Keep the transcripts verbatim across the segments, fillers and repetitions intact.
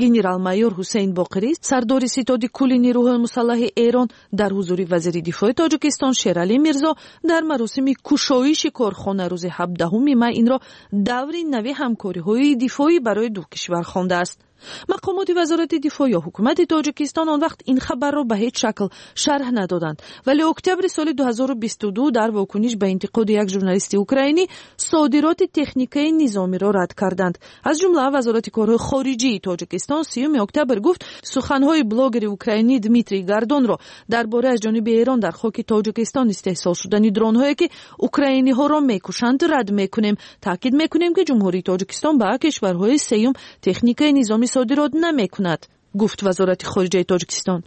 Генерал-майор Ҳусейн Боқирӣ, сардори ситоди кулли нерӯҳои мусаллаҳи Эрон, дар ҳузури вазири дифои Тоҷикистон Шералӣ Мирзо дар маросими кушоиши корхона рӯзи ҳабдаҳуми май инро даври нави ҳамкориҳои дифоӣ барои ду кишвар хондааст. Мақомоти вазорати дифоъ ё ҳукумати Тоҷикистон он вақт ин хабарро ба ҳеҷ шакл шарҳ надоданд, вале октябри соли ду ҳазору бисту ду дар вокуниш ба интиқоди як журналисти украинӣ содироти техникаи низомиро рад карданд. Аз ҷумла вазорати корҳои хориҷии Тоҷикистон сиюми октябр гуфт, суханҳои блогери украинӣ Дмитрий Гордонро дар бораи аз ҷониби Эрон дар хоки Тоҷикистон истеҳсол шудани дронҳое, ки украиниҳоро мекушанд, рад мекунем. Таъкид мекунем, ки Ҷумҳурии Тоҷикистон ба кишварҳои сеюм техникаи низомӣ содирот намекунад, гуфт вазорати хориҷаи Тоҷикистон.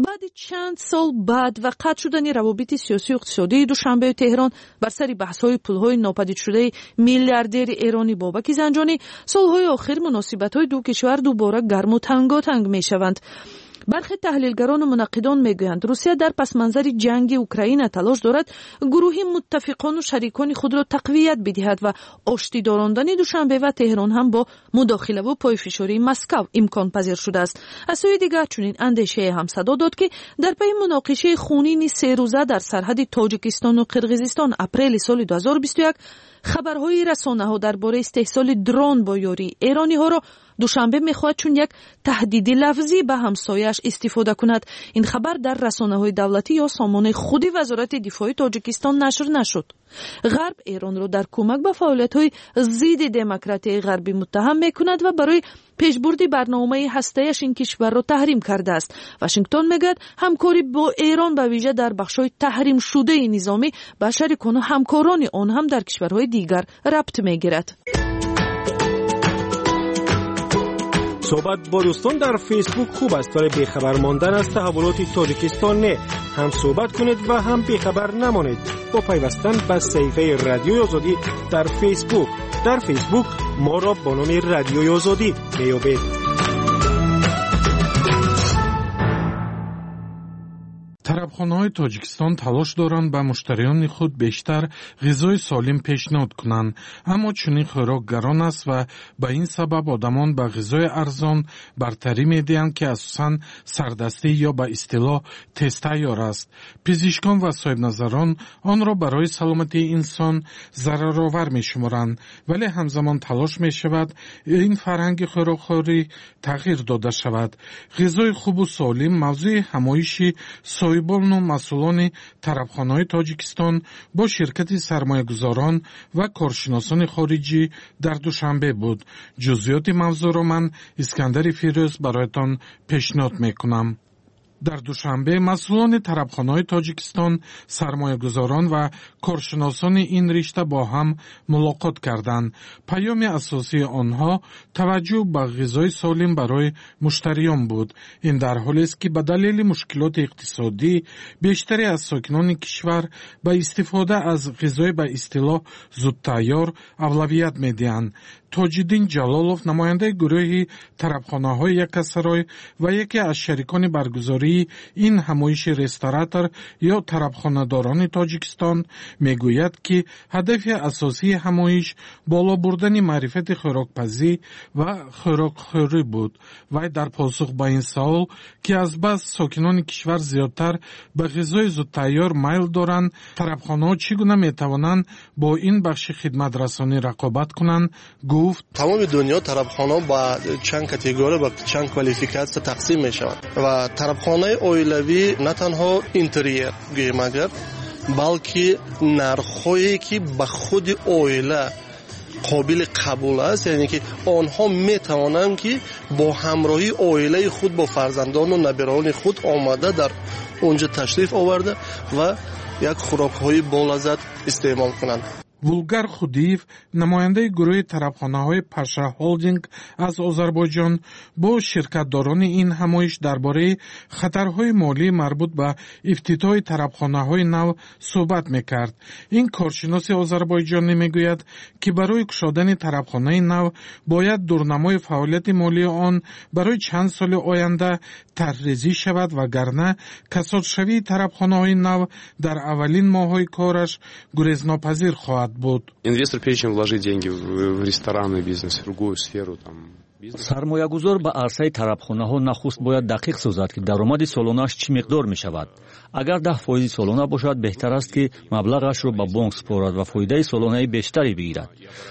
Баъди чанд сол баъд ва қатъ шудани равобити сиёсию иқтисодии Душанбею Теҳрон бар сари баҳсҳои пулҳои нопадидшудаи миллиардери эронӣ Бобаки Занҷонӣ, солҳои охир муносибатҳои ду кишвар дубора гарму танготанг мешаванд. Бархе таҳлилгарону мунаққидон мегӯянд, Русия дар пасманзари ҷанги Украина талош дорад гурӯҳи муттафиқону шарикони худро тақвият бидиҳад ва оштӣ дорондани Душанбе ва Теҳрон ҳам бо мудохилаву пойфишории Москав имконпазир шудааст. Аз сӯи дигар, чунин андешае ҳам садо дод, ки дар пайи муноқишаи хунини серӯза дар сарҳади Тоҷикистону Қирғизистон апрели соли ду ҳазору бисту як хабарҳои расонаҳо дар бораи истеҳсоли дрон бо ёрии эрониҳоро Душанбе мехоҳад чун як таҳдиди лафзӣ ба ҳамсояаш истифода кунад. Ин хабар дар расонаҳои давлатӣ ё сомонаи худи вазорати дифои Тоҷикистон нашр нашуд. Ғарб Эронро дар кӯмак ба фаъолиятҳои зидди демократияи ғарбӣ муттаҳам мекунад ва барои пешбурди барномаи ҳастаяш ин кишварро таҳрим кардааст. Вашингтон мегӯяд, ҳамкорӣ бо Эрон ба вижа дар бахшҳои таҳримшудаи низомӣ ба шарикону ҳамкорони он ҳам дар кишварҳои дигар рабт мегирад. Суҳбат бо дӯстон дар Фейсбук хуб аст, вале бехабар мондан аз таҳаввулоти Тоҷикистон не. Ҳам суҳбат кунед ва ҳам бехабар намонед бо пайвастан ба саҳифаи Радиои Озодӣ дар Фейсбук. Дар Фейсбук моро бо номи Радиои Озодӣ меёбед. Тарабхонаҳои Тоҷикистон талош доранд ба муштариёни худ бештар ғизои солим пешниҳод кунанд, аммо чунин хӯрок гарон аст ва ба ин сабаб одамон ба ғизои арзон бартарӣ медиҳанд, ки асосан сардастӣ ё ба истилоҳ тезтайёр аст. Пизишкон ва соҳибназарон онро барои саломатии инсон зараровар мешуморанд, вале ҳамзамон талош мешавад ин фарҳанги хӯрокхӯрӣ тағйир дода шавад. Ғизои хубу солим мавзӯи ҳамоиши соҳибону масъулони тарабхонаҳои Тоҷикистон бо ширкати сармоягузорон ва коршиносони хориҷӣ дар Душанбе буд. Ҷузъиёти мавзӯъро ман, Искандари Фирӯз, бароятон пешниҳод мекунам. Дар Душанбе масъулони тарабхонаҳои Тоҷикистон, сармоягузорон ва коршиносони ин ришта бо ҳам мулоқот карданд. Паёми асосии онҳо таваҷҷӯҳ ба ғизои солим барои муштариён буд. Ин дар ҳолест, ки ба далели мушкилоти иқтисодӣ бештаре аз сокинони кишвар ба истифода аз ғизои ба истилоҳ зудтайёр авлавият медиҳанд. Тоҷиддин Ҷалолов, намояндаи гурӯҳи тарабхонаҳои Якасарой ва яке аз шарикони баргузории ин ҳамоиши ресторатор ё тарабхонадорони Тоҷикистон, мегӯяд, ки ҳадафи асосии ҳамоиш боло бурдани маърифати хӯрокпазӣ ва хӯрокхӯрӣ буд. Вай дар посух ба ин савол, ки аз бас сокинони кишвар зиёдтар ба ғизои зудтайёр майл доранд, тарабхонаҳо чӣ гуна метавонанд бо ин бахши хидматрасонӣ рақобат кунанд, гуфт: тамоми дунё тарабхона ба чанд категория, ба чанд квалификатсия тақсим мешавад ва тарабхонаи оилавӣ на танҳо интерьер гӯем агар, балки нархҳое, ки ба худи оила қобили қабул аст, яъне ки онҳо метавонанд, ки бо ҳамроҳии оилаи худ, бо фарзандону набираони худ омада дар онҷо ташриф оварда ва як хӯрокҳои болаззат истеъмол кунанд. Вулгар Худиев, намояндаи гурӯҳи тарабхонаҳои Паша Холдинг аз Озарбойҷон, бо ширкатдорони ин ҳамоиш дар бораи хатарҳои молии марбут ба ифтитоҳи тарабхонаҳои нав суҳбат мекард. Ин коршиноси озарбойҷонӣ мегӯяд, ки барои кушодани тарабхонаи нав бояд дурнамои фаъолияти молии он барои чанд соли оянда тарҳрезӣ шавад, вагарна касодшавии тарабхонаҳои нав дар аввалин моҳҳои кораш гурезнопазир хоҳад буд. Инвестор, прежде чем вложить деньги в ресторанный бизнес, в другую сферу, там, Сармоягузор ба арсаи тарабхонаҳо нахуст бояд дақиқ созад, ки даромади солонааш чӣ миқдор мешавад. Агар даҳ фоизи солона бошад, беҳтар аст, ки маблағашро ба бонк супорад ва фоидаи солонаи бештаре бигирад.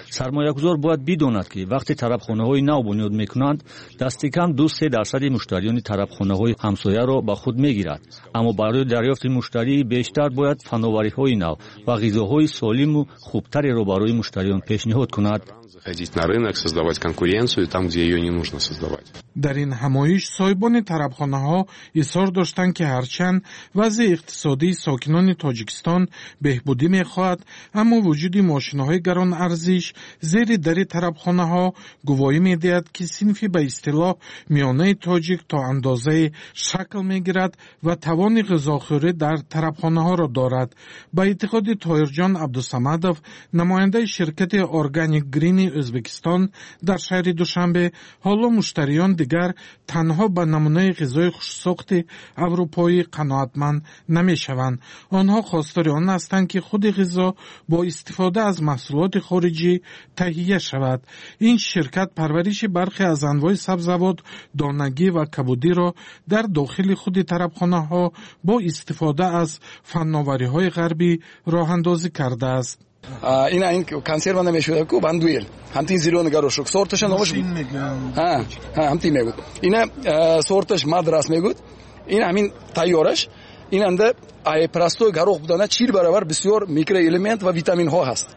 Сармоягузор бояд бидонад, ки вақте тарабхонаҳои нав бунёд мекунанд, дасти кам ду-се дарсади муштариёни тарабхонаҳои ҳамсояро ба худ мегирад. Аммо барои дарёфти муштарии бештар бояд фановариҳои нав ва ғизоҳои солиму хубтареро барои муштариён пешниҳод кунад. Заходить на рынок, создавать конкуренцию там, где ее не нужно создавать. Дар ин ҳамоиш соҳибони тарабхонаҳо изҳор доштанд, ки ҳарчанд вазъи иқтисодии сокинони Тоҷикистон беҳбудӣ мехоҳад, аммо вуҷуди мошинаҳои гаронарзиш зери дари тарабхонаҳо гувоҳӣ медиҳад, ки синфи ба истилоҳ миёнаи тоҷик то андозае шакл мегирад ва тавони ғизохӯрӣ дар тарабхонаҳоро дорад. Ба эътиқоди Тоҳирҷон Абдусамадов, намояндаи ширкати Органик Грини Ӯзбекистон дар шаҳри Душанбе, ҳоло муштариён дигар танҳо ба намунаи ғизои хушсохти аврупоӣ қаноатманд намешаванд. Онҳо хостори он ҳастанд, ки худи ғизо бо истифода аз маҳсулоти хориҷӣ таҳия шавад. Ин ширкат парвариши бархе аз анвои сабзавот, донагӣ ва кабудиро дар дохили худи тарабхонаҳо бо истифода аз фанновариҳои ғарбӣ роҳандозӣ кардааст. Ина ин консерва намешуда ку вандуэл. Ҳамтин зелёный горошок. Сорташа номаш ҳа, ҳа, ҳамтин мегӯд. Ина сорташ мадрас мегӯд. Ин ҳамин тайёраш. Ин анда ай простой горох будана чил баробар бисёр микроэлемент ва витаминҳо ҳаст.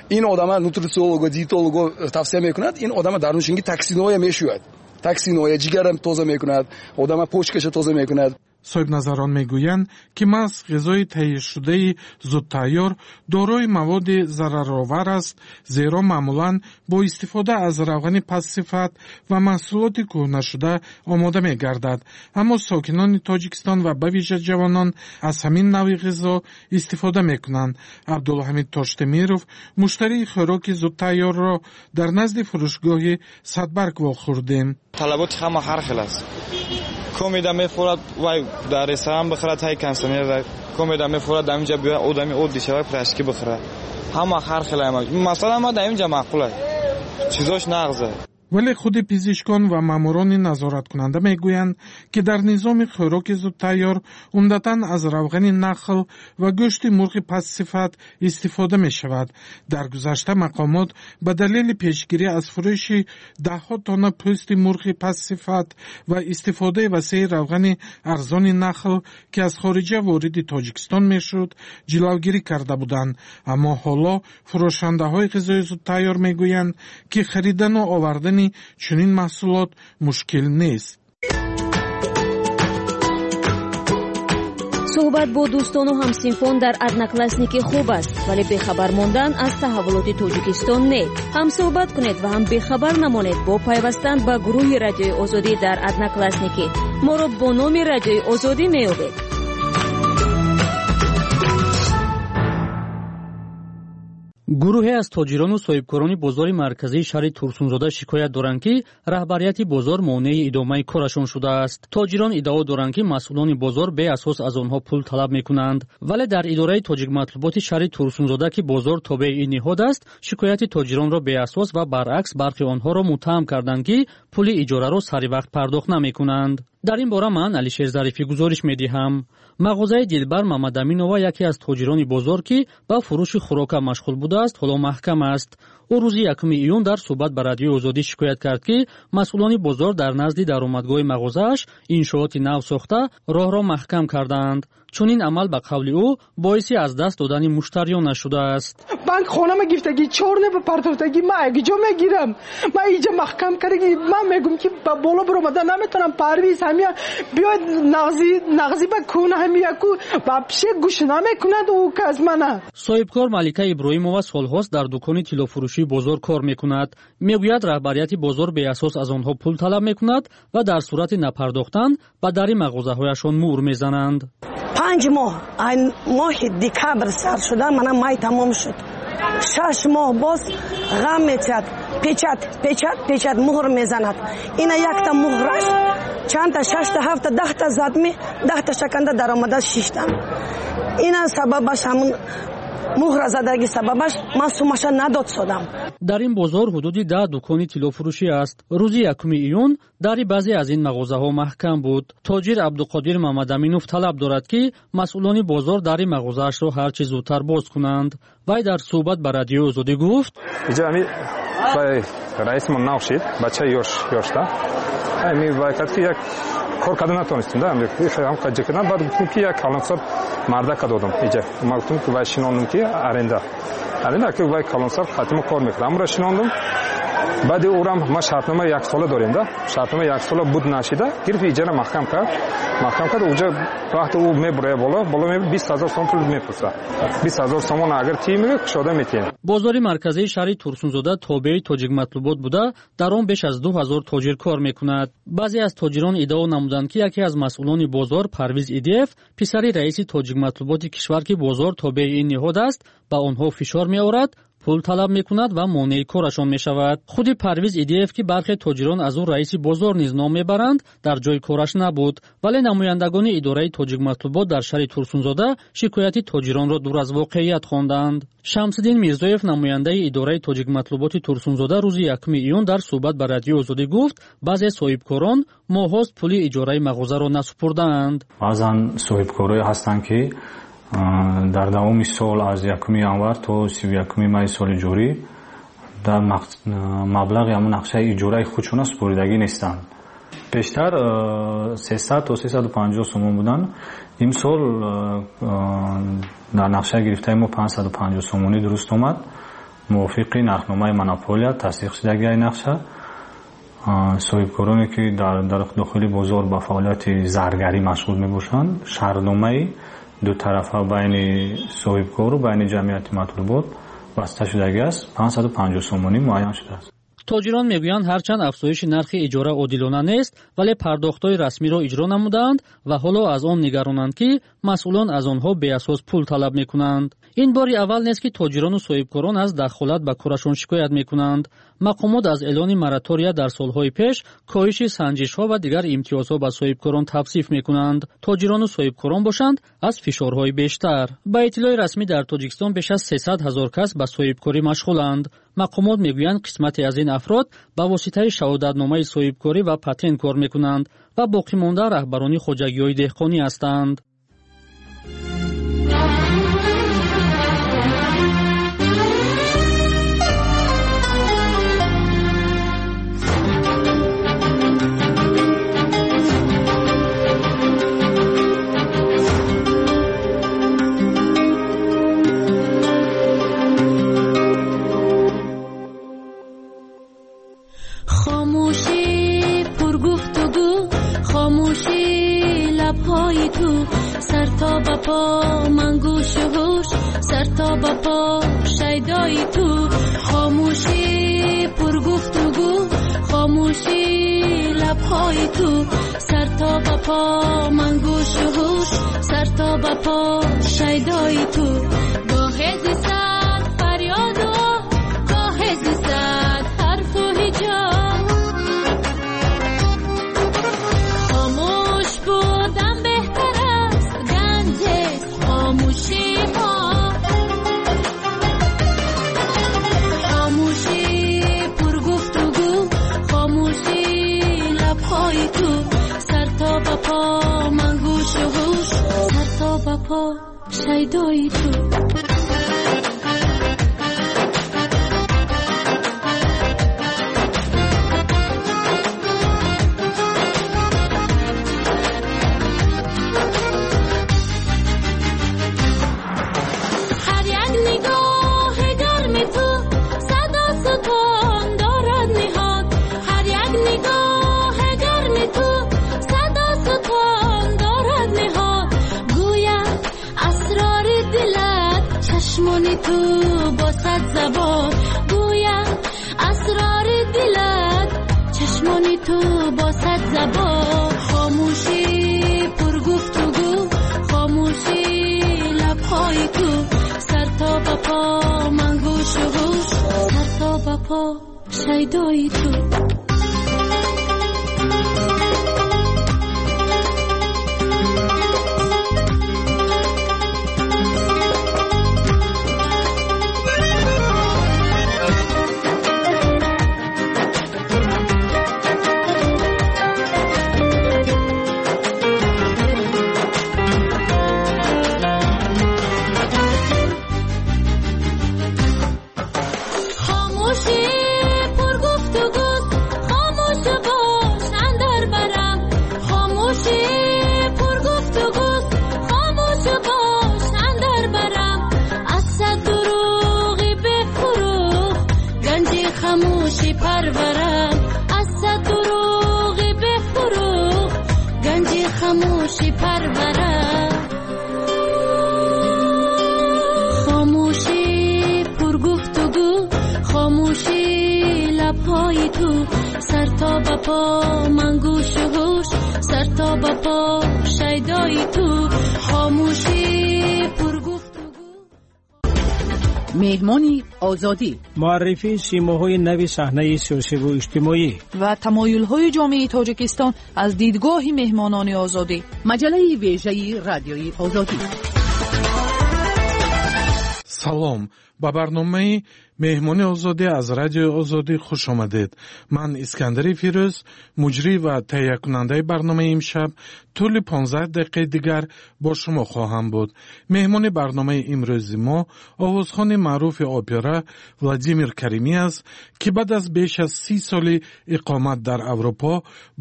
Ин одама нутрициолого, диетолого тавсия мекунад. Ин одама даруншинги токсинҳоя мешӯяд. Токсинҳоя ҷигарам тоза мекунад, одама почкаша тоза мекунад. Соҳибназарон мегӯянд, ки маҳз ғизои таҳияшудаи зудтайёр дорои маводи зараровар аст, зеро маъмулан бо истифода аз равғани пастсифат ва маҳсулоти кӯҳнашуда омода мегардад. Аммо сокинони Тоҷикистон ва ба вижа ҷавонон аз ҳамин навъи ғизо истифода мекунанд. Абдулҳамид Тоштемиров муштарии хӯроки зудтайёрро дар назди фурӯшгоҳи Садбарг вохӯрдем. Талаботи ҳама ҳар хел аст. Комеда мефорад, вай дар ресторан бихӯрад, ҳай консернер комеда мефорад, дар инҷа биёяд одами оддӣ шавад, пирожки бихӯрад. Ҳама ҳар хел ама. Масалан, ма дар инҷа маъқул аст. Чизош нағзе. Вале худи пизишкон ва маъмурони назораткунанда мегӯянд, ки дар низоми хӯроки зудтайёр умдатан аз равғани нахл ва гӯшти мурғи пастсифат истифода мешавад. Дар гузашта мақомот ба далели пешгирӣ аз фурӯши даҳҳо тонна пӯсти мурғи пастсифат ва истифодаи васеи равғани арзони нахл, ки аз хориҷа вориди Тоҷикистон мешуд, ҷилавгирӣ карда буданд. Аммо ҳоло фурӯшандаҳои ғизои зудтайёр мегӯянд, ки харидану овардани чунин маҳсулот мушкил нест. Суҳбат бо дӯстону ҳамсинфон дар Одноклассники хуб аст, вале бехабар мондан аз таҳаввулоти Тоҷикистон не. Ҳам суҳбат кунед ва ҳам бехабар намонед бо пайвастан ба гурӯҳи Радиои Озодӣ дар Одноклассники. Моро бо номи Радиои Озодӣ меёбед. Гурӯҳе аз тоҷирону соҳибкорони бозори марказии шаҳри Турсунзода шикоят доранд, ки раҳбарияти бозор монеи идомаи корашон шудааст. Тоҷирон иддао доранд, ки масъулони бозор беасос аз онҳо пул талаб мекунанд. Вале дар идораи тоҷикматлуботи шаҳри Турсунзода, ки бозор тобеи ин ниҳод аст, шикояти тоҷиронро беасос ва баръакс бархи онҳоро муттаҳам карданд, ки пули иҷораро сари вақт пардохт намекунанд. Дар ин бора ман Алишер Зарифӣ гузориш медиҳам. Мағозаи Дилбар Мамадаминова яке аз тоҷирони бозор, ки ба фурӯши хӯрока машғул будааст, ҳоло маҳкам аст. Ӯ рӯзи якуми июн дар суҳбат ба Радиои Озодӣ шикоят кард, ки масъулони бозор дар назди даромадгоҳи мағозааш иншооти нав сохта роҳро маҳкам кардаанд. Чунин амал ба қавли ӯ боиси аз даст додани муштариён нашудааст. Банк хонама гирифтагӣ, чорне ба партофтагӣ, ман агиҷо мегирам. Ман иҷа маҳкам кардаги, ман мегӯм, ки ба боло баромада наметавонам. Парвиз ҳамия биёд нағзи нағзи ба кун ҳамия ку вообще гӯш намекунад ӯ кас мана. Соҳибкор Малика Иброҳимова солҳост дар дукони тиллофурӯшии бозор кор мекунад. Мегӯяд, раҳбарияти бозор беасос аз онҳо пул талаб мекунад ва дар сурати напардохтан ба дари мағозаҳояшон муҳр мезананд. Панҷ моҳ, ай моҳи декабр сар шуда, мана май тамом шуд. Шаш моҳ боз ғам метиҳад, печат, печат, печат муҳр мезанад. Ина якта муҳраш чандта, шашта, ҳафта, даҳта задми, даҳта шаканда даромада шиштам. Ина сабабаш ҳамун Муҳра задаги сабабаш ман сумаша надод содам. Дар ин бозор ҳудуди даҳ дукони тиллофурӯшӣ аст. Рӯзи якуми июн дари баъзе аз ин мағозаҳо маҳкам буд. Тоҷир Абдуқодир Мамадаминов талаб дорад, ки масъулони бозор дари мағозаашро ҳарчи зудтар боз кунанд. Вай дар суҳбат ба Радиои Озодӣ гуфт: иҷа ами раисмон нав шид, бачаи ёш ёшта ами вай кард, ки як кор карда натонистем да, ҳам ҷа кардам. Баъд гуфтем, ки як калонсор мардака додам. Иҷа ма гуфтем, ки вай шинондум, ки аренда аренда ки вай калонсор хатима кор мекард, амра шинондум. Баъди урам ма шартнома яксола дорем да, шартнома яксола буд нашида гирифт, иҷара маҳкам кард, маҳкам кард. Уҷа вақте ӯ мебурая боло боло меб бист ҳазор сомон пул мепурса, бист ҳазор сомон агар тӣ мега кушода метиҳем. Бозори марказии шаҳри Турсунзода тобеи Тоҷикматлубот буда, дар он беш аз ду ҳазор тоҷир кор мекунад. Баъзе аз тоҷирон иддао намуданд, ки яке аз масъулони бозор Парвиз Идиев, писари раиси Тоҷикматлуботи кишвар, ки бозор тобеи ин ниҳод аст, ба онҳо фишор меорад, пул талаб мекунад ва монеи корашон мешавад. Худи Парвиз Идиев, ки бархе тоҷирон аз ӯ раиси бозор низ ном мебаранд, дар ҷои кораш набуд. Вале намояндагони идораи Тоҷикматлубот дар шаҳри Турсунзода шикояти тоҷиронро дур аз воқеият хонданд. Шамсиддин Мирзоев, намояндаи идораи Тоҷикматлуботи Турсунзода, рӯзи якуми июн дар суҳбат ба Радиои Озодӣ гуфт, баъзе соҳибкорон моҳҳост пули иҷораи мағозаро насупурдаанд. Баъзан соҳибкорое ҳастанд, ки дар давоми сол аз якуми январ то сию якуми майи соли ҷорӣ дар маблағи ҳамон нақшаи иҷораи худшона супоридагӣ нестанд. Пештар сесад то сесаду панҷоҳ сомон буданд. Имсол дар нақшаи гирифтаи мо панҷсаду панҷоҳ сомонӣ дуруст омад. Мувофиқи нархномаи монополия тасдиқ шудагии нақша, соҳибкороне, ки дар дохили бозор ба фаъолияти заргарӣ машғул мебошанд, шартномаи дутарафа байни соҳибкору байни ҷамъияти матлубот баста шудагӣ аст, панҷсаду панҷоҳ сомонӣ муайян шудааст. Тоҷирон мегӯянд, ҳарчанд афзоиши нархи иҷора одилона нест, вале пардохтҳои расмиро иҷро намудаанд ва ҳоло аз он нигаронанд, ки масъулон аз онҳо беасос пул талаб мекунанд. Ин бори аввал нест, ки тоҷирону соҳибкорон аз дахолат ба корашон шикоят мекунанд. Мақомот аз эълони моратория дар солҳои пеш, коҳиши санҷишҳо ва дигар имтиёзҳо ба соҳибкорон тавсиф мекунанд. Тоҷирону соҳибкорон бошанд аз фишорҳои бештар. Ба иттилои расмӣ дар Тоҷикистон беш аз сесад ҳазор кас ба соҳибкорӣ машғуланд. Мақомот мегӯянд, қисмате аз ин афрод ба воситаи шаҳодатномаи соҳибкорӣ ва патент кор мекунанд ва боқимонда раҳбарони хоҷагиҳои деҳқонӣ ҳастанд. سر تا به پا من گوش و هوش، سر تا به پا شیدای تو. خاموشی پر گفتگو، خاموشی لبهای تو. سر تا به پا من گوش و هوش، سر تا به پا شیدای تو. گاهی ز صد فریاد و گاهی ز صد حرف و هجا. خاموش بودم بهتر است، گنج خاموشی ها. خاموشی پر گفتگو، خاموشی لبهای تو. سر تا به پا من گوش و هوش، سر تا به پا شیدای تو. تو با صد زبان گویم اسرار دلت، چشمانی تو با صد زبان. خاموشی پر گفتگو، خاموشی لبهای تو. سر تا به پا من گوش و هوش، سر تا به پا شیدای تو. خاموشی پرورد. خاموشی پر گفتگو، خاموشی لبهای تو، سر تا به پا من گوش و هوش، سر تا به پا شیدای تو، خاموشی پر گفتگو. меҳмони озодӣ. Муаррифии симоҳои нави саҳнаи сиёсиву иҷтимоӣ ва тамоюлҳои ҷомеаи Тоҷикистон аз дидгоҳи меҳмонони озодӣ. Маҷаллаи вежаи Радиои Озодӣ. Салом, ба барномаи меҳмони озодӣ аз Радиои Озодӣ хуш омадед. Ман Искандари Фирӯз, муҷрӣ ва таҳиякунандаи барномаи имшаб, тӯли понздаҳ дақиқаи дигар бо шумо хоҳам буд. Меҳмони барномаи имрӯзи мо овозхони маъруфи опера Владимир Каримӣ аст, ки баъд аз беш аз си соли иқомат дар Аврупо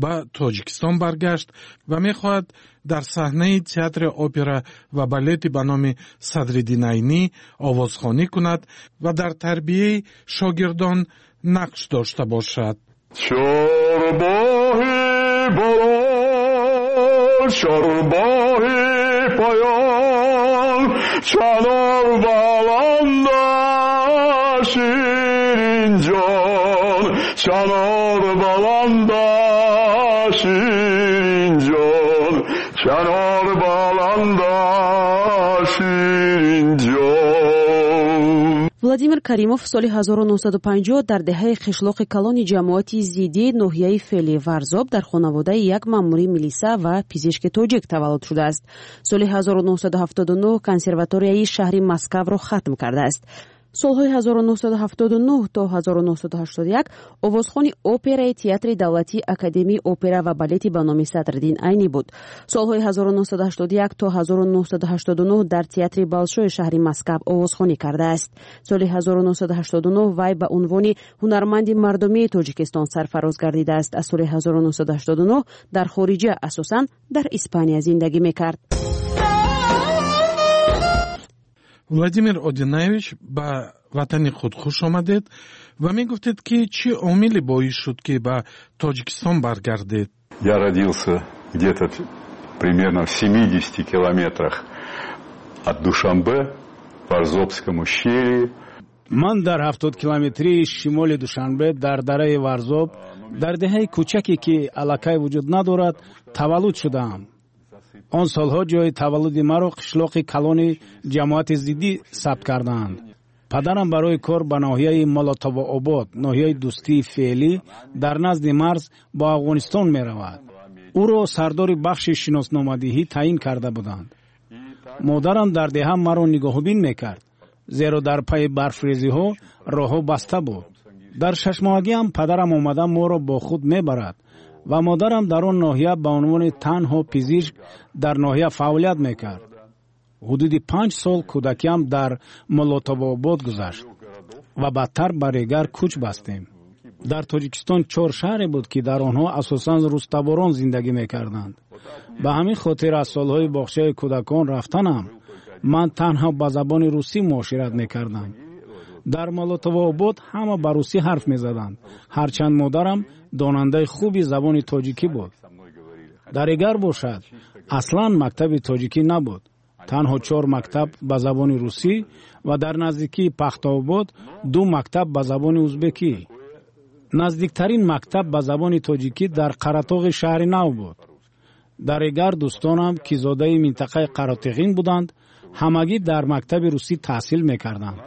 ба Тоҷикистон баргашт ва мехоҳад дар саҳнаи театри опера ва балети ба номи Садриддин Айнӣ овозхонӣ кунад ва дар тарбияи шогирдон нақш дошта бошад. Чорбоҳи боло, чорбоҳи поён, чанор баланда ширинҷон, чанор баланда ширинҷон, чанор баланда ширинҷон. Владимир Каримов соли ҳазору нӯҳсаду панҷоҳ дар деҳаи қишлоқи калони ҷамоати Зидӣ ноҳияи Фели Варзоб дар хонаводаи як маъмури милиса ва пизишки тоҷик таваллуд шудааст. Соли ҳазору нӯҳсаду ҳафтоду нӯҳ консерваторияи шаҳри Москавро хатм кардааст. Солҳои ҳазору нӯҳсаду ҳафтоду нӯҳ то ҳазору нӯҳсаду ҳаштоду як овозхони операи Театри давлатии Академияи опера ва балети ба номи Садриддин Айнӣ буд. Солҳои ҳазору нӯҳсаду ҳаштоду як то ҳазору нӯҳсаду ҳаштоду нӯҳ дар Театри Болшои шаҳри Москав овозхонӣ кардааст. Соли ҳазору нӯҳсаду ҳаштоду нӯҳ вай ба унвони ҳунарманди мардумии Тоҷикистон сарфароз гардидааст. Аз соли ҳазору нӯҳсаду ҳаштоду нӯҳ дар хориҷа, асосан дар Испания зиндагӣ мекард. Владимир Одинаевич, ба ватани худ хуш омадед ва мегуфтед, ки чӣ омиле боис шуд, ки ба Тоҷикистон баргардед? Я родился где-то примерно в семидесяти километрах от Душанбе, в Варзобском ущелье. Ман дар ҳафтод километрии шимоли Душанбе дар дараи Варзоб, дар деҳаи кӯчаке, ки аллакай вуҷуд надорад, таваллуд шудаам. Он солҳо ҷои таваллуди маро қишлоқи калони ҷамоати Зиддӣ сабт кардаанд. Падарам барои кор ба ноҳияи Молотовообод, ноҳияи Дӯстии феълӣ, дар назди марз бо Афғонистон меравад. Ӯро сардори бахши шиносномадиҳӣ таъин карда буданд. Модарам дар деҳа маро нигоҳубин мекард, зеро дар пайи барфрезиҳо роҳҳо баста буд. Дар шашмоҳагиам падарам омада моро бо худ мебарад ва модарам дар он ноҳия ба унвони танҳо пизишк дар ноҳия фаъолият мекард. Ҳудуди панҷ сол кӯдакиам дар Молотовообод гузашт ва баъдтар ба Регар кӯч бастем. Дар Тоҷикистон чор шаҳре буд, ки дар онҳо асосан рустаборон зиндагӣ мекарданд. Ба ҳамин хотир аз солҳои боғчаи кӯдакон рафтанам ман танҳо ба забони русӣ муошират мекардам. Дар Молотовообод ҳама ба русӣ ҳарф мезаданд, ҳарчанд модарам донандаи хуби забони тоҷикӣ буд. Дар Регар бошад аслан мактаби тоҷикӣ набуд. Танҳо чор мактаб ба забони русӣ ва дар наздикии Пахтаобод ду мактаб ба забони узбекӣ. Наздиктарин мактаб ба забони тоҷикӣ дар Қаратоғи шаҳри нав буд. Дар Регар дӯстонам, ки зодаи минтақаи Қаротиғин буданд, ҳамагӣ дар мактаби русӣ таҳсил мекарданд.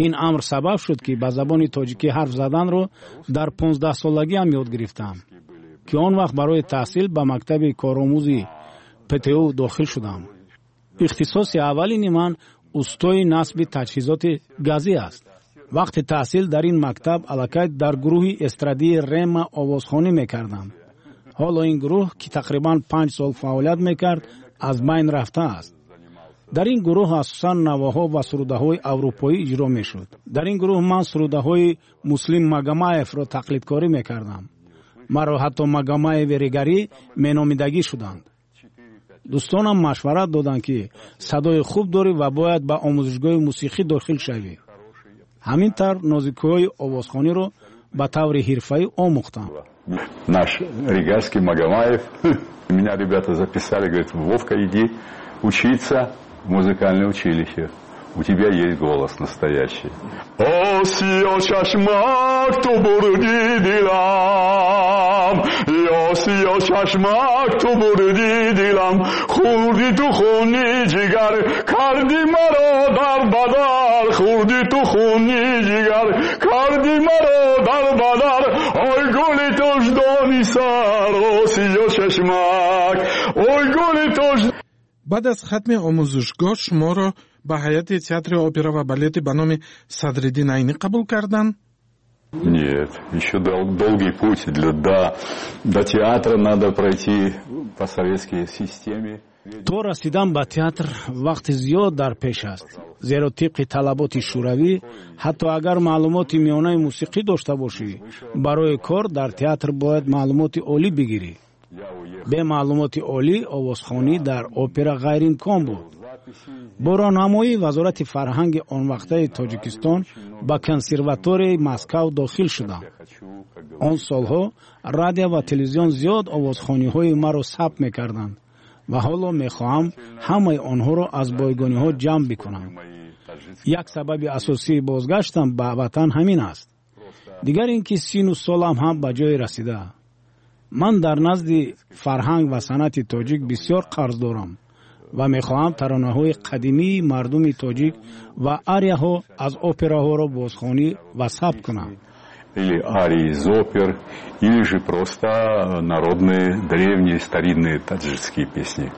Ин амр сабаб шуд, ки ба забони тоҷикӣ ҳарф заданро дар понздаҳсолагиам ёд гирифтам, ки он вақт барои таҳсил ба мактаби коромӯзи П Т У дохил шудам. Ихтисоси аввалини ман устои насби таҷҳизоти газӣ аст. Вақти таҳсил дар ин мактаб аллакай дар гурӯҳи эстрадии Рема овозхонӣ мекардам. Ҳоло ин гурӯҳ, ки тақрибан панҷ сол фаъолият мекард, аз байн рафтааст. Дар ин гурӯҳ асосан навоҳо ва сурудаҳои аврупоӣ иҷро мешуд. Дар ин гурӯҳ ман сурудаҳои Муслим Магомаевро тақлидкорӣ мекардам. Маро ҳатто Магомаеви Регарӣ меномидагӣ шуданд. Дӯстонам машварат доданд, ки садои хуб дорӣ ва бояд ба омӯзишгоҳи мусиқӣ дохил шавӣ. Ҳамин тавр нозикиҳои овозхониро ба таври ҳирфаӣ омӯхтам. Наш Ригарский Магомаев. Меня ребята записали, говорит, Вовка, иди учиться в музыкальное училище. У тебя есть голос настоящий. Осиё чашмак ту бурди дилам, Осиё чашмак ту бурди дилам, хурди ту хуни ҷигар, карди маро дар бадар, хурди ту хуни ҷигар, карди маро дар бадар, ой гули тоҷдони сар, осиё чашмак, ой гули тоҷ. Баъд аз хатми омӯзишгоҳ шуморо ба ҳайати театри опера ва балети ба номи Садриддин Айнӣ қабул карданд? Нет, еще долгий путь. Для, до, до театра надо пройти по советской системе. То расидан ба театр вақти зиёд дар пеш аст, зеро тибқи талаботи шӯравӣ ҳатто агар маълумоти миёнаи мусиқӣ дошта бошӣ, барои кор дар театр бояд маълумоти олӣ бигирӣ. Бе маълумоти олӣ овозхонӣ дар опера ғайриимкон буд. Бо роҳнамоии Вазорати фарҳанги он вақтаи Тоҷикистон ба консерваторияи Москав дохил шудам. Он солҳо радио ва телевизион зиёд овозхониҳои маро сабт мекарданд ва ҳоло мехоҳам ҳамаи онҳоро аз бойгониҳо ҷамъ бикунам. Як сабаби асосии бозгаштам ба ватан ҳамин аст. Дигар ин ки сину солам ҳам ба ҷое расида. Ман дар назди фарҳанг ва санъати тоҷик бисёр қарз дорам ва мехоҳам таронаҳои қадимии мардуми тоҷик ва арияҳо аз операҳоро бозхонӣ ва сабт кунам. Или арии из опер, или же просто народные, древние, старинные таджикские песни.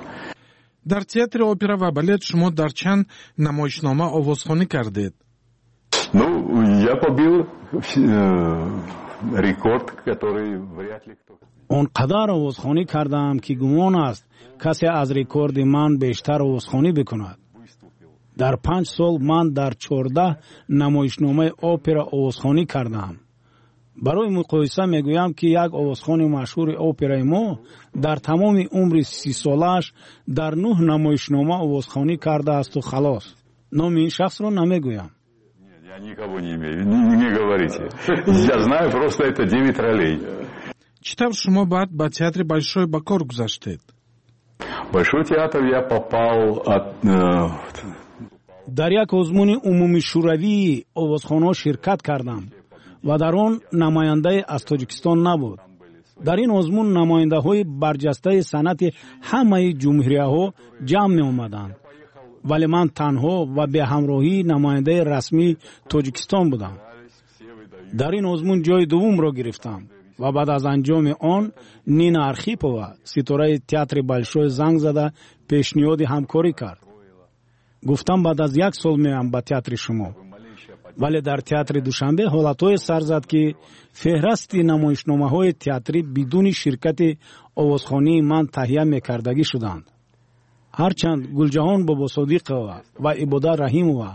Дар театри опера ва балет шумо дар чанд намоишнома овозхонӣ кардед? Ну, я побил э, рекорд, который вряд ли кто. Он қадар овозхонӣ кардаам, ки гумон аст, касе аз рекорди ман бештар овозхонӣ бикунад. Дар панҷ сол ман дар чордаҳ намоишномаи опера овозхонӣ кардаам. Барои муқоиса мегӯям, ки як овозхони машҳури операи мо дар тамоми умри сисолааш дар нӯҳ намоишнома овозхонӣ кардаасту халос. Номи ин шахсро намегӯям. Я никого не имею, не, не говорите. Я знаю просто, это девять ролей. Чӣ тавр шумо баъд ба театри Большой ба кор гузаштед? Большой театр я попал от э, Дар як озмуни умумишӯравии овозхонҳо ширкат кардам ва дар он намояндае аз Тоҷикистон набуд. Дар ин озмун намояндаҳои барҷастаи санъати ҳамаи ҷумҳурияҳо ҷамъ меомаданд, вале ман танҳо ва беҳамроҳии намояндаи расмии Тоҷикистон будам. Дар ин озмун ҷои дуввумро гирифтам ва баъд аз анҷоми он Нина Архипова, ситораи театри Большой, занг зада пешниҳоди ҳамкорӣ кард. Гуфтам, баъд аз як сол меоям ба театри шумо. Вале дар театри Душанбе ҳолатҳое сар зад, ки феҳрасти намоишномаҳои театрӣ бидуни ширкати овозхонии ман таҳия мекардагӣ шуданд. Ҳарчанд Гулҷаҳон Бобосодиқова ва Ибодат Раҳимова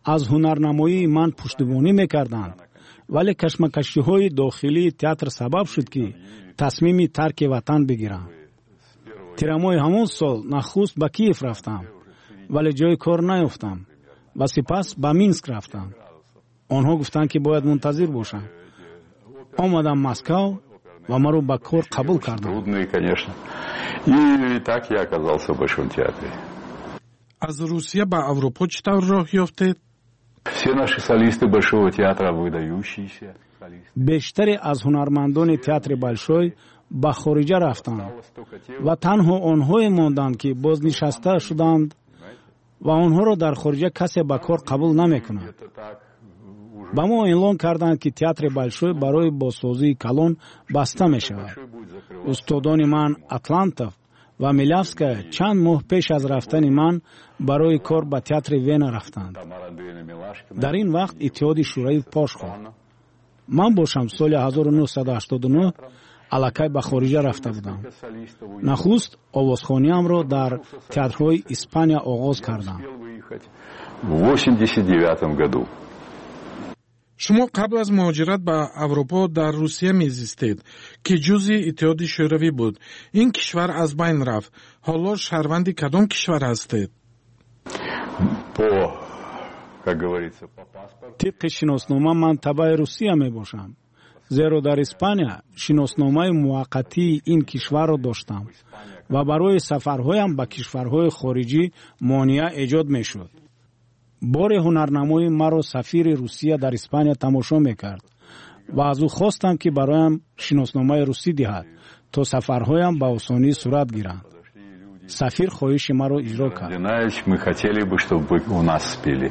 аз ҳунарнамоии ман пуштибонӣ мекарданд, вале кашмакашиҳои дохилии театр сабаб шуд, ки тасмими тарки ватан бигирам. Тирамоҳи ҳамон сол нахуст ба Киев рафтам, вале ҷои кор наёфтам ва сипас ба Минск рафтам. Онҳо гуфтанд, ки бояд мунтазир бошам. Омадам Москав ва маро ба кор қабул карданд. Трудные, конечно. И так я оказался в Большом театре. Аз Русия ба Аврупо чӣ тавр роҳ ёфтед? Все наши солисты Большого театра выдающиеся. Бештаре аз ҳунармандони театри Большой ба хориҷа рафтанд ва танҳо онҳое монданд, ки бознишаста шуданд ва онҳоро дар хориҷа касе ба кор қабул намекунад. Ба мо эълон карданд, ки театри Большой барои бозсозии калон баста мешавад. Устодони ман Атлантов ва Милявская чанд моҳ пеш аз рафтани ман барои кор ба театри Вена рафтанд. Дар ин вақт Иттиҳоди Шӯравӣ пош хӯрд. Ман бошам соли ҳазору нӯҳсаду ҳаштоду нӯҳ аллакай ба хориҷа рафта будам. Нахуст овозхониамро дар театрҳои Испания оғоз кардам. В восемьдесят девятом году. Шумо қабл аз муҳоҷират ба Аврупо дар Русия мезистед, ки ҷузъи Иттиҳоди Шӯравӣ буд. Ин кишвар аз байн рафт. Ҳоло шаҳрванди кадом кишвар ҳастед? По, как говорится, по паспорту. Тибқи шиноснома ман табаи Русия мебошам, Зеро дар Испания шиносномаи муваққатии ин кишварро доштам ва барои сафарҳоям ба кишварҳои хориҷӣ монеа эҷод мешуд. Боре ҳунарнамои маро сафири Русия дар Испания тамошо мекард ва аз ӯ хостам, ки бароям шиносномаи русӣ диҳад, то сафарҳоям ба осонӣ сурат гиранд. Сафир хоҳиши маро иҷро кард. Мы хотели бы, чтобы вы у нас спели.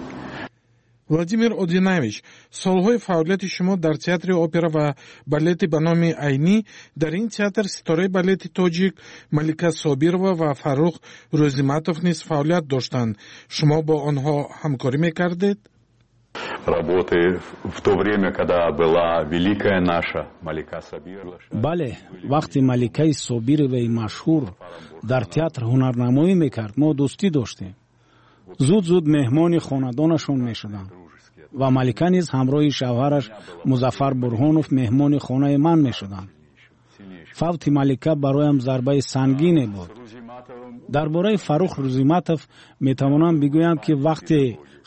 Владимир Одинаевич, солҳои фаъолияти шумо дар театри опера ва балети ба номи Айнӣ, дар ин театр ситораи балети тоҷик Малика Собирова ва Фаррух Рӯзиматов низ фаъолият доштанд. Шумо бо онҳо ҳамкорӣ мекардед? Работы в то время, когда была великая наша Малика Сабирова. Бале, вақте Маликаи Собироваи машҳур дар театр ҳунарнамоӣ мекард, мо дӯстӣ доштем. Зуд зуд меҳмони хонадонашон мешудам ва Малика низ ҳамроҳи шавҳараш Музаффар Бурҳонов меҳмони хонаи ман мешуданд. Фавти Малика бароям зарбаи сангине буд. Дар бораи Фаррух Рӯзиматов метавонам бигӯям, ки вақте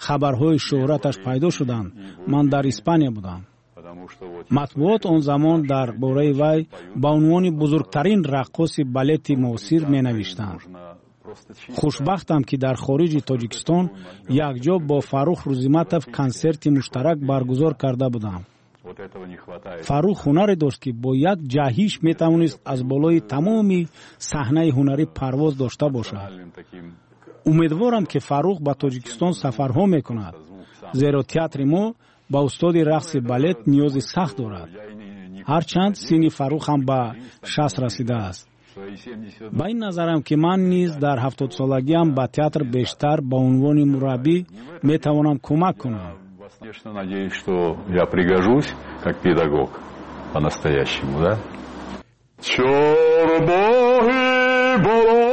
хабарҳои шӯҳраташ пайдо шуданд, ман дар Испания будам. Матбуот он замон дар бораи вай ба унвони бузургтарин раққоси балети муосир менавиштанд. Хушбахтам, ки дар хориҷи Тоҷикистон якҷо бо Фаррух Рӯзиматов консерти муштарак баргузор карда будам. Фаррух ҳунаре дошт, ки бо як ҷаҳиш метавонист аз болои тамоми саҳнаи ҳунарӣ парвоз дошта бошад. Умедворам, ки Фаррух ба Тоҷикистон сафарҳо мекунад, зеро театри мо ба устоди рақси балет ниёзи сахт дорад, ҳарчанд синни Фаррух ҳам ба шаст расидааст. Ба ин назарам, ки ман низ дар ҳафтодсолагиам ба театр бештар ба унвони мураббӣ метавонам кӯмак кунам. Конечно, надеюсь, что я пригожусь как педагог по-настоящему, да? Чорбоҳи боло,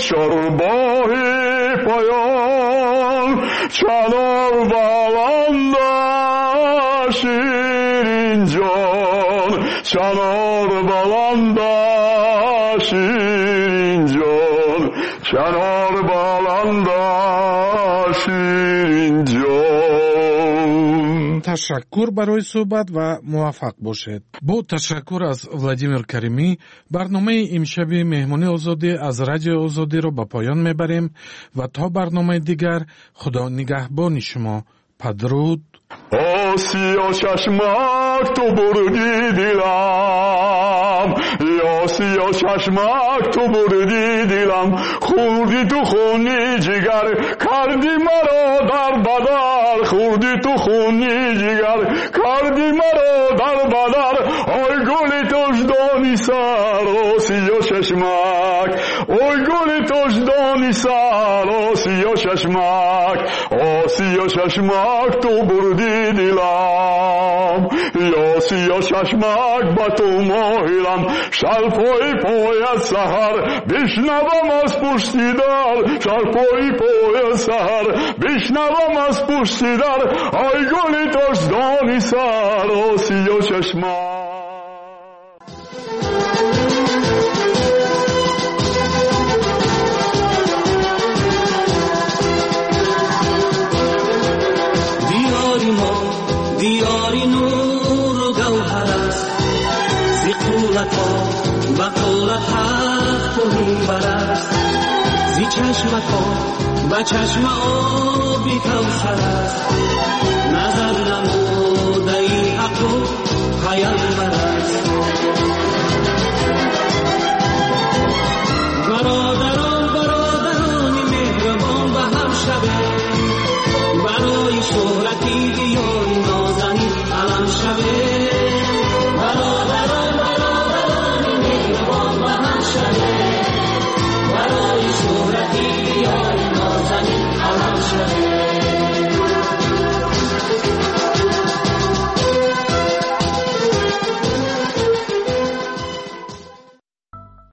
чорбоҳи поён, чанор баланда ширинҷон, чанор баланда ширинҷон, чанор баланда ширинҷон. Ташаккур барои суҳбат ва муваффақ бошед. Бо ташаккур аз Владимир Каримӣ барномаи имшаби Меҳмони Озодӣ аз Радиои Озодиро ба поён мебарем ва то барномаи дигар Худо нигаҳбони шумо. Падруд. Осиё чашмак, ту бурди дилам, Осиё чашмак, ту бурди дилам, хӯрди ту хуни ҷигар, карди маро дар бадар, хӯрди ту хуни ҷигар, карди маро дар бадар, ой гули тоҷдони сар, осиё чашмак, ой гули тоҷдони сар, осиё чашмак, осиё чашмак, ту бурди дилам, осиё чашмак, ба ту моҳилам, шалпои пояд саҳар, бишнавам аз пушти дар, шалпои пояд саҳар, бишнавам аз пушти дар, ой гули тоҷдони сар, осиё чашмак. Диёри мо диёри нуру гавҳар аст, зи қуллато ба қуллат ҳафту минбар аст, зи чашмако ба чашма оби кавсар аст. Назар намуд.